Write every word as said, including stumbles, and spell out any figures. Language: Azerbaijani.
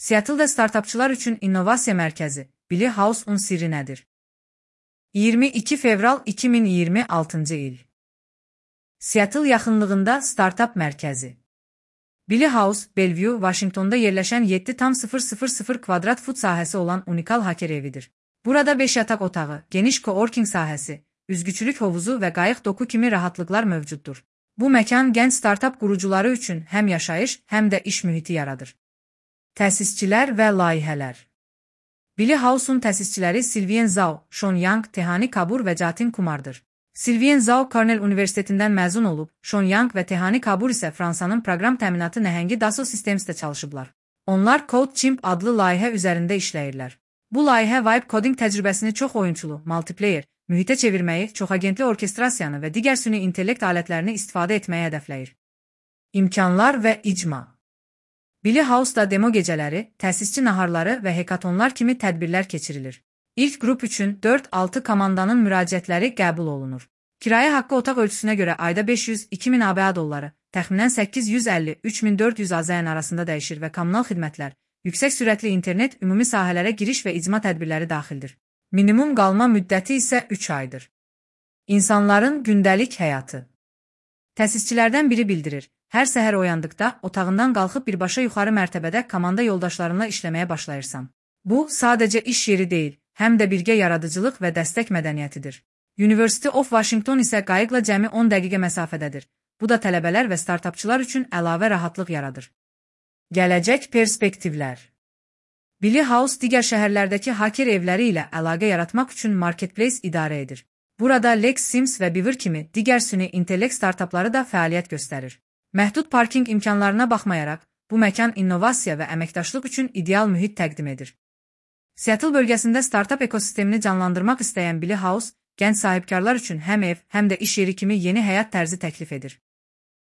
Seattle'da startapçılar üçün innovasiya mərkəzi, Billy House-un sirri nədir? iyirmi iki fevral iki min iyirmi altıncı il. Seattle yaxınlığında startap mərkəzi. Billy House, Bellevue, Washingtonda yerləşən yeddi tam sıfır sıfır sıfır kvadrat fut sahəsi olan unikal haker evidir. Burada beş yataq otağı, geniş coworking sahəsi, üzgüçülük hovuzu və qayıq doku kimi rahatlıqlar mövcuddur. Bu məkan gənc startap qurucuları üçün həm yaşayış, həm də iş mühiti yaradır. Təsisçilər və layihələr. Billy House-un təsisçiləri Sylvain Zhao, Sean Yang, Tehani Kabur və Jatin Kumardır. Sylvain Zhao Cornell Universitetindən məzun olub, Sean Yang və Tehani Kabur isə Fransanın proqram təminatı nəhəngi Dassault Systemsdə çalışıblar. Onlar CodeChimp adlı layihə üzərində işləyirlər. Bu layihə vibe coding təcrübəsini çox oyunçulu, multiplayer, mühitə çevirməyi, çoxagentli orkestrasiyanı və digər süni intellekt alətlərini istifadə etməyi hədəfləyir. İmkanlar və icma. Billy House-da demo gecələri, təsisçi naharları və hekatonlar kimi tədbirlər keçirilir. İlk qrup üçün dörd altı komandanın müraciətləri qəbul olunur. Kirayə haqqı otaq ölçüsünə görə ayda beş yüz iki min ABŞ dolları, təxminən səkkiz yüz əlli üç min dörd yüz AZN arasında dəyişir və kommunal xidmətlər, yüksək sürətli internet, ümumi sahələrə giriş və icma tədbirləri daxildir. Minimum qalma müddəti isə üç aydır. İnsanların gündəlik həyatı. Təsisçilərdən biri bildirir, hər səhər oyandıqda otağından qalxıb birbaşa yuxarı mərtəbədə komanda yoldaşlarınla işləməyə başlayırsan. Bu, sadəcə iş yeri deyil, həm də birgə yaradıcılıq və dəstək mədəniyyətidir. University of Washington isə qayıqla cəmi on dəqiqə məsafədədir. Bu da tələbələr və startapçılar üçün əlavə rahatlıq yaradır. Gələcək perspektivlər. Billy House digər şəhərlərdəki haker evləri ilə əlaqə yaratmaq üçün marketplace idarə edir. Burada Lex Sims və Beaver kimi digər süni intellekt startapları da fəaliyyət göstərir. Məhdud parking imkanlarına baxmayaraq, bu məkan innovasiya və əməkdaşlıq üçün ideal mühit təqdim edir. Seattle bölgəsində startap ekosistemini canlandırmaq istəyən Billy House, gənc sahibkarlar üçün həm ev, həm də iş yeri kimi yeni həyat tərzi təklif edir.